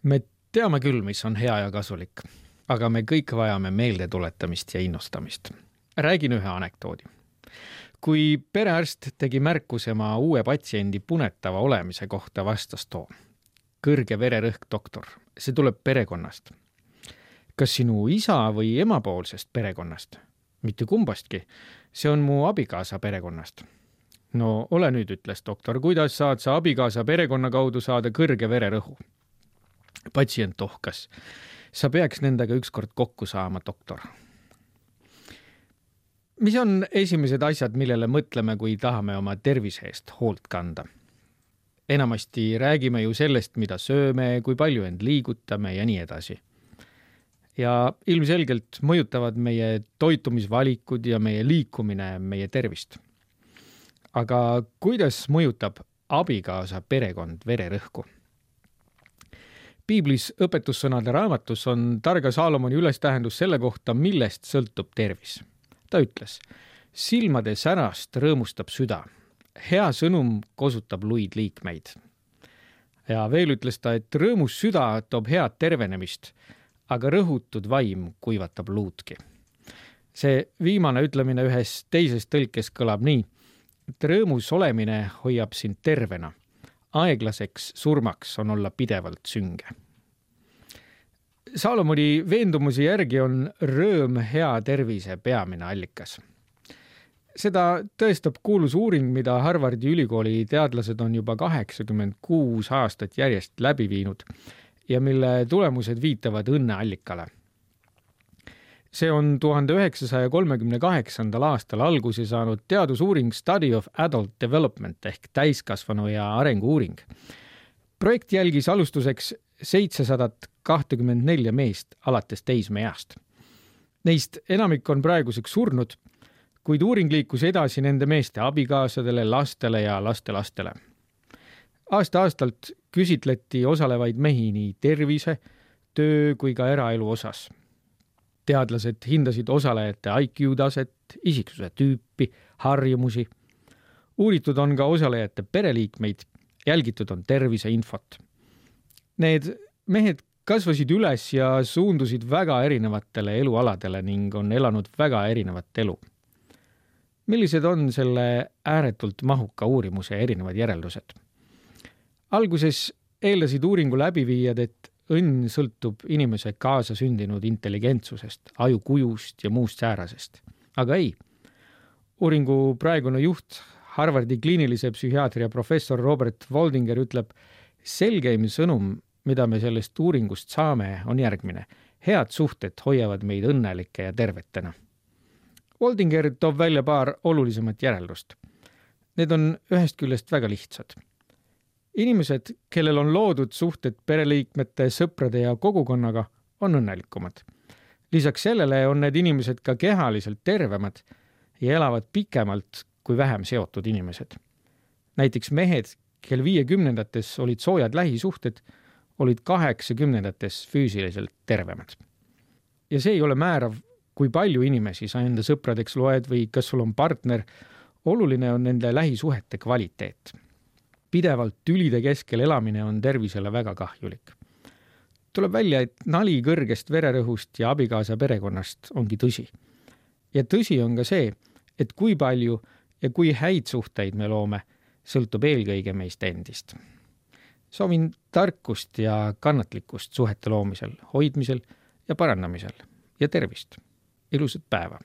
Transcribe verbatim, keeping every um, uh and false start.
Me teame küll, mis on hea ja kasulik, aga me kõik vajame meelde tuletamist ja innustamist. Räägin ühe anekdoodi. Kui perearst tegi märkuse oma uue patsiendi punetava olemise kohta, vastas too. Kõrge vererõhk doktor, see tuleb perekonnast. Kas sinu isa või emapoolsest perekonnast? Mitte kumbastki, see on mu abikaasa perekonnast. No ole nüüd, ütles doktor, kuidas saad sa abikaasa perekonna kaudu saada kõrge vererõhu? Patsient tohkas. Sa peaks nendega ükskord kokku saama, doktor. Mis on esimesed asjad, millele mõtleme, kui tahame oma tervise eest hoolt kanda? Enamasti räägime ju sellest, mida sööme, kui palju end liigutame ja nii edasi. Ja ilmselgelt mõjutavad meie toitumisvalikud ja meie liikumine meie tervist. Aga kuidas mõjutab abikaasa perekond vererõhku? Piiblis õpetussõnade raamatus on targa Saalomoni ülestähendus selle kohta, millest sõltub tervis. Ta ütles, silmade särast rõõmustab süda, hea sõnum kosutab luid liikmeid. Ja veel ütles ta, et rõõmus süda toob head tervenemist, aga rõhutud vaim kuivatab luudki. See viimane ütlemine ühes teises tõlkes kõlab nii, et rõõmus olemine hoiab sind tervena. Aeglaseks surmaks on olla pidevalt sünge. Saalomoni veendumuse järgi on rõõm hea tervise peamine allikas. Seda tõestab kuulus uuring, mida Harvardi ülikooli teadlased on juba kaheksakümmend kuus aastat järjest läbi viinud ja mille tulemused viitavad õnneallikale. See on tuhande üheksasaja kolmekümne kaheksandal aastal alguse saanud teadusuuring Study of Adult Development ehk täiskasvanu ja arengu uuring. Projekt jälgis alustuseks seitsesadat kakskümmend neli meest alates teismeeast. Neist enamik on praeguseks surnud, kuid uuring liikus edasi nende meeste abikaasadele, lastele ja lastelastele. Aasta-aastalt küsitleti osalevaid mehi nii tervise, töö kui ka eraelu osas. Teadlased hindasid osalejate I Q taset, isiksuse tüüpi, harjumusi. Uuritud on ka osalejate pereliikmeid, jälgitud on tervise infot. Need mehed kasvasid üles ja suundusid väga erinevatele elualadele ning on elanud väga erinevat elu. Millised on selle ääretult mahuka uurimuse erinevad järeldused? Alguses eeldasid uuringu läbiviijad, et õnn sõltub inimese kaasa sündinud intelligentsusest, ajukujust ja muust säärasest. Aga ei. Uuringu praegune juht, Harvardi kliinilise psühhiaatria professor Robert Waldinger ütleb, selgeim sõnum, mida me sellest uuringust saame, on järgmine. Head suhted hoiavad meid õnnelike ja tervetena. Waldinger toob välja paar olulisemat järeldust. Need on ühest küljest väga lihtsad. Inimesed, kellel on loodud suhted pereliikmete, sõprade ja kogukonnaga, on õnnelikumad. Lisaks sellele on need inimesed ka kehaliselt tervemad ja elavad pikemalt kui vähem seotud inimesed. Näiteks mehed, kel viiekümnendates olid soojad lähisuhted, olid kaheksakümnendates füüsiliselt tervemad. Ja see ei ole määrav, kui palju inimesi sa enda sõpradeks loed või kas sul on partner, oluline on nende lähisuhete kvaliteet. Pidevalt tülide keskel elamine on tervisele väga kahjulik. Tuleb välja, et nali kõrgest vererõhust ja abikaasa perekonnast ongi tõsi. Ja tõsi on ka see, et kui palju ja kui häid suhteid me loome, sõltub eelkõige meist endist. Soovin tarkust ja kannatlikkust suhete loomisel, hoidmisel ja parandamisel ja tervist. Ilusat päeva!